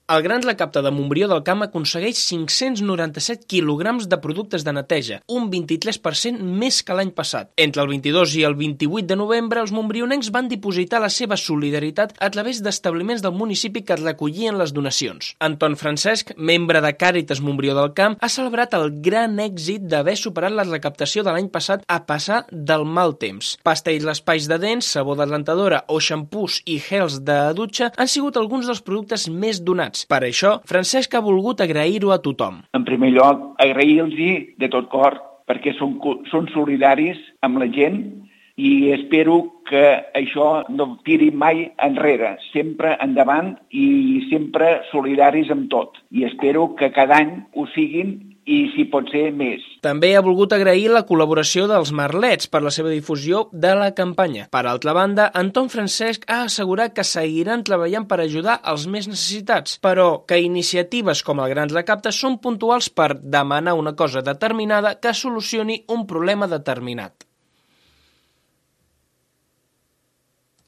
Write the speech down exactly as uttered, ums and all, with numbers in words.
El Grans Recapte de Montbrió del Camp aconsegueix cinc-cents noranta-set quilograms de productes de neteja, un vint-i-tres per cent més que l'any passat. Entre el vint-i-dos i el vint-i-vuit de novembre, els montbrionencs van dipositar la seva solidaritat a través d'establiments del municipi que recollien les donacions. Anton Francesc, membre de Càritas Montbrió del Camp, ha celebrat el gran èxit d'haver superat la recaptació de l'any passat a passar del mal temps. Pasta i espais de dents, sabó de rentadora o xampús i gels de dutxa han sigut alguns dels productes més donats. Per això, Francesc ha volgut agrair-ho a tothom. En primer lloc, agrair-los de tot cor perquè són, són solidaris amb la gent i espero que això no tiri mai enrere, sempre endavant i sempre solidaris amb tot. I espero que cada any ho siguin i, si pot ser, més. També ha volgut agrair la col·laboració dels Merlets per la seva difusió de la campanya. Per altra banda, Anton Francesc ha assegurat que seguiran treballant per ajudar els més necessitats, però que iniciatives com el Grans Recapte són puntuals per demanar una cosa determinada que solucioni un problema determinat.